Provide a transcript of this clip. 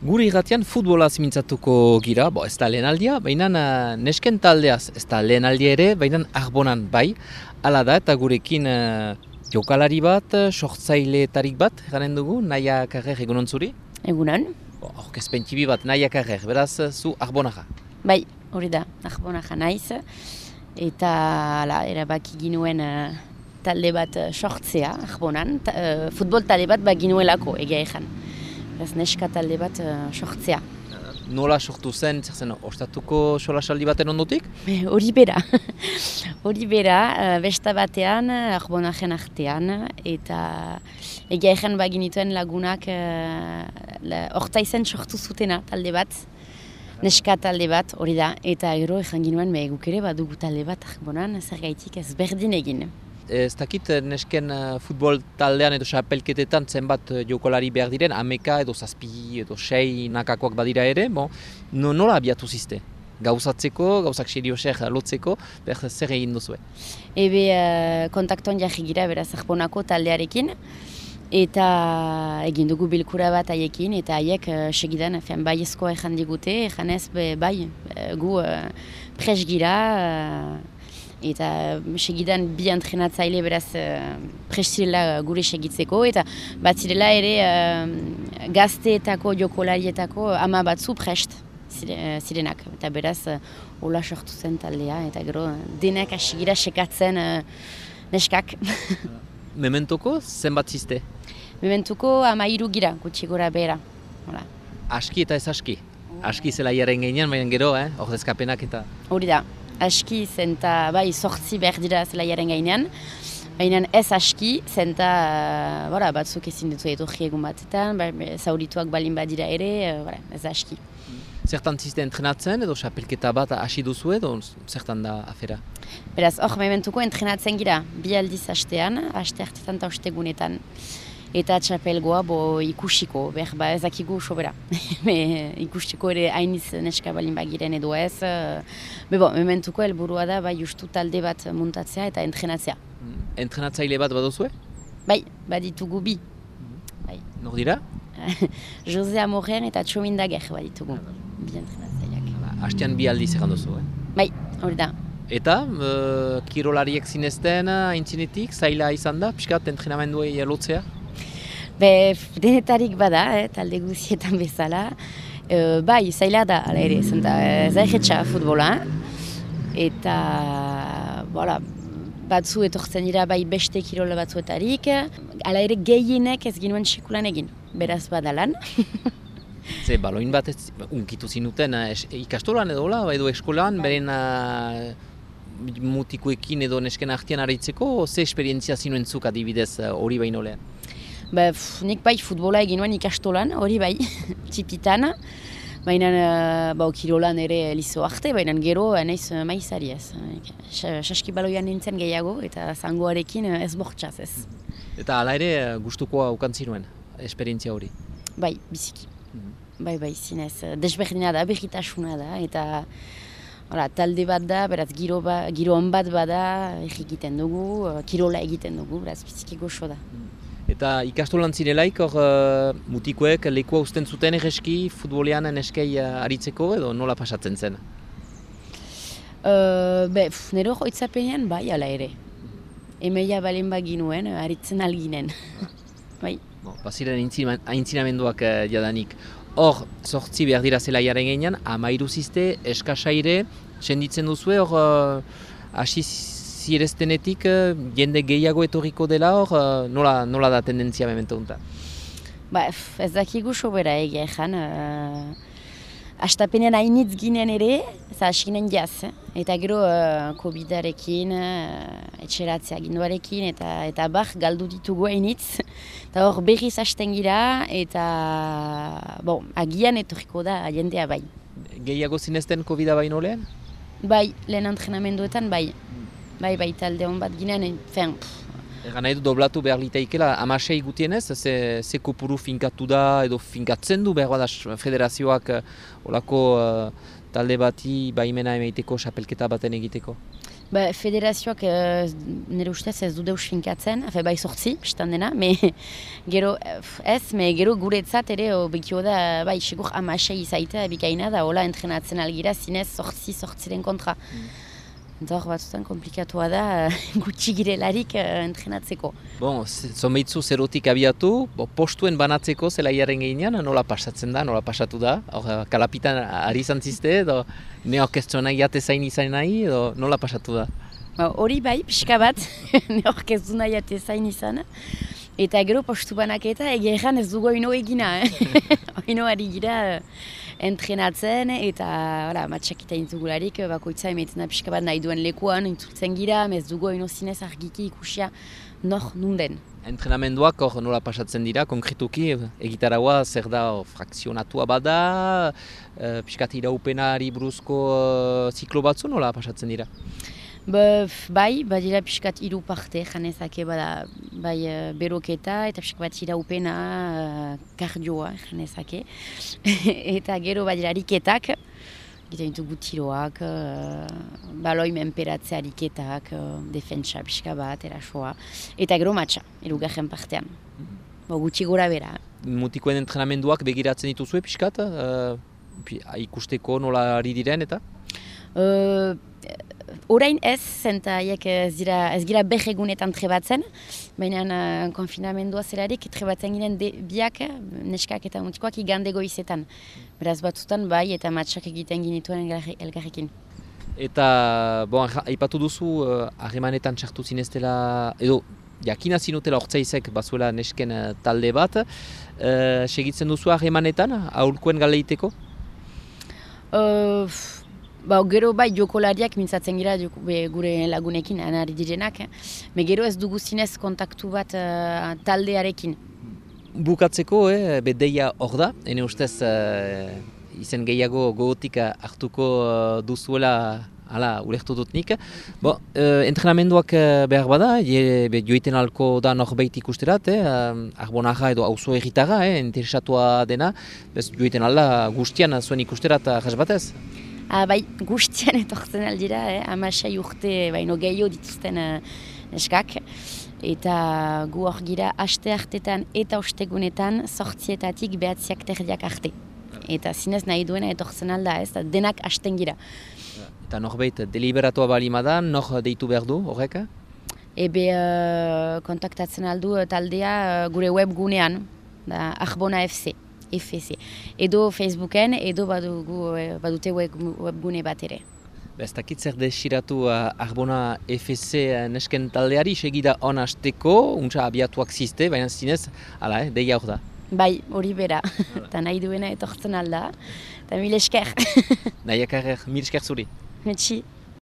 Gure irratian futbola zimintzatuko gira, ez da lehenaldia, baina nesken taldeaz, ez da lehenaldia ere, baina Arbonan bai. Hala da, eta gurekin jokalari bat, sortzaileetarik bat, garen dugu, Naia Carrer egunon zuri? Egunon. Aurkezpen txibi bat, Naia Carrer, beraz zu Arbonaja. Bai, hori da, Arbonaja naiz, eta erabaki ginuen talde bat sortzea, Arbonan, futbol talde bat ginuelako, egia ezan. Neska talde bat sortzea. Nola sortu zen, zer zen, ostatuko solasaldi baten ondotik? Hori bera. Hori bera, besta batean, Arbonajen artean, eta egia ezan baginituen lagunak hortaizen sortu zutena talde bat, neska talde bat, hori da, eta gero ezan ginuen guk ere badugu talde bat Arbonan, zer gaitik ez berdin egin. Ez dakit nesken futbol taldean edo xapelketetan zenbat jokolari behar diren, 11 edo 7 edo 6 nakakoak badira ere, nola abiatu zizte? Gauzatzeko, gauzak serioser lotzeko, zer egin duzue? Kontaktuan jarri gira beraz Arbonako taldearekin, eta egin dugu bilkura bat haiekin, eta haiek segidan baiezkoa ezan digute, ezanez bai, gu pres gira, eta segidan bi entrenatzaile beraz presirela gure segitzeko, eta bat zirela ere gazteetako jokolarietako ama batzu prest zirenak. Eta beraz hola sortu zen taldea, eta gero denak asigira sekatzen neskak. Mementoko zenbat zizte? Mementuko 13 gira, gutxi gora behera. Aski eta ez aski? Aski zela jaren gainean, baina gero, ordezkapenak eta... Hori da. Aski zenta bai sortzi behar dira zelaiaren gainean, baina ez aski zenta batzuk ezin ditu etorri egun batetan, zaurituak balin badira ere, ez aski. Zertan zizte entrenatzen edo xapelketa bat hasi duzu edo zertan da afera? Beraz, hor mementuko entrenatzen gira, bi aldiz hastean, haste hartetan eta ostegunetan. Eta txapelgoa ikusiko, ez dakigu sobera. Ikusiko ere hainiz neska balin bagiren edo ez. Mementuko helburua da justu talde bat muntatzea eta entrenatzea. Entrenatzaile bat baduzue? Bai, baditugu bi. Nor dira? Jose Amorren eta Txomin Dager baditugu. Bi entrenatzaileak. Hastean bi aldiz egan duzu, Bai, hori da. Eta, kirolariek zinezten aintzinetik, zaila izan da, pixkat entrenamenduei lotzea? Denetarik bada, talde guzietan bezala. Bai, zaila da, ala ere, zaihetxa futbola. Eta, batzu etortzen dira bai beste kirola batzuetarik. Ala ere gehienek ez ginuen sekulan egin, beraz badalan. Ze, baloin bat unkitu zinuten ikastolan edo edo eskolan, beren mutikoekin edo nesken artean aritzeko, ze esperientzia zinuen zuk adibidez hori baino lehen? Nik bai futbola egin nuen ikastolan, hori bai, txipitan. Baina kirolan ere lizo arte, baina gero naiz maizari ez. Saskibaloian nintzen gehiago eta zangoarekin ez bortxaz ez. Eta hala ere gustukoa ukantzi nuen, esperientzia hori? Bai, biziki. Bai, zinez. Desberdina da, berritasuna da, eta talde bat da, beraz giro on bat bada, egiten dugu, kirola egiten dugu, beraz biziki goxo da. Eta ikastolan zirelaik, mutikoek lekua uzten zuten egeski futbolean neskei aritzeko edo nola pasatzen zen? Nero joitzapenean bai ala ere. Emeia balen baginuen, aritzen alginen. Bai. Baziren aintzinamenduak jadanik. Hor, sortzi behar dira zelaiaren gainean, 13 zizte, eskasaire, senditzen duzue, hor, hasi zireztenetik jende gehiago etorriko dela hor, nola da tendentzia memento unta? Ez dakigu sobera egia ezan. Astapenean hainitz ginen ere, hasi jaz. Eta gero COVID-arekin, etxeratzea ginduarekin, eta galdu ditugu hainitz. Eta hor berriz hasten gira, eta agian etorriko da jendea bai. Gehiago zinezten COVID-a baino lehen? Bai, lehen entrenamenduetan bai. Bai, talde hon bat ginen, Egan nahi du doblatu behar liteikela, 16 gutienez, ze kopuru finkatu da edo finkatzen du behar bada federazioak olako talde bati baimena emaiteko xapelketa baten egiteko? Federazioak nire ustez ez du deus finkatzen, bai 8, bistan dena, gero gero guretzat ere bekio da, bai, segur 16 izaita bikaina da, hola entrenatzen algira zinez 8-8 kontra. Eta hor batzutan komplikatua da gutxi girelarik entrenatzeko. Zonbeitzu zerotik abiatu, postuen banatzeko zelaiaren gehinean, nola pasatzen da, nola pasatu da? Kalapitan ari izan zizte, edo neorkeztu nahi atezain izan nahi, edo nola pasatu da? Hori bai, pixka bat, neorkeztu nahi atezain izan. Eta gero postu banaketa egeran ez dugu oino egina. Oino ari gira entrenatzen eta matxakita intzugularik bakoitza emetzen da pixka bat nahi duen lekuan intzultzen gira, ez dugu oino zinez argiki ikusia nor nunden. Entrenamenduak hor nola pasatzen dira, konkretuki egitaragoa zer da frakzionatua bada, pixkat iraupenari buruzko ziklo batzu nola pasatzen dira? Bai, badira pixkat 3 parte janezake bada, bai beroketa eta pixkat bat iraupena kardioa janezake. Eta gero badira ariketak, egiten ditugu tiroak, baloi menperatze ariketak, defentsa pixka bat, erasoa. Eta gero matxa, 3. partean. Gutxi gora bera. Mutikoen entrenamenduak begiratzen dituzue pixkat, ikusteko nola ari diren eta? Orain ez, zenta haiek ez gira behegunetan trebatzen, baina konfinamendua zelarik trebatzen ginen biak, neskak eta mutikoak igande goizetan. Beraz batzutan bai eta matxak egiten ginituen elgarrekin. Eta, aipatu duzu, harremanetan txartu zineztela, edo jakina zinutela hortzaizek bazuela nesken talde bat, segitzen duzu harremanetan, aholkuen galeiteko? Gero bai jokolariak mintzatzen gira gure lagunekin anari direnak, gero ez dugu zinez kontaktu bat taldearekin. Bukatzeko, deia hor da, ene ustez izen gehiago gogotik hartuko duzuela ulertu dut nik. Entrenamenduak behar bada, joiten alko da norbait ikusterat, Arbonaga edo auzo egitara, interesatua dena, joiten alda guztian zuen ikusterat jasbatez? Bai, guztian etortzen aldira, 16 urte baino gehiago dituzten neskak. Eta gu hor gira aste hartetan eta ostegunetan 8-etatik 9-terdiak arte. Eta zinez nahi duena etortzen alda, denak hasten gira. Eta norbait deliberatua balimadan, nor deitu behar du horrek? Kontaktatzen aldu taldea gure webgunean, Arbona FC. Edo Facebooken, edo badute webgune bat ere. Ez dakit zer desiratu Arbona FC nesken taldeari, segida on hasteko, untsa abiatuak zizte, baina zinez, deia hor da. Bai, hori bera, eta nahi duena etortzen alda, eta mil esker. Nahi esker, mil esker zuri. Metxi.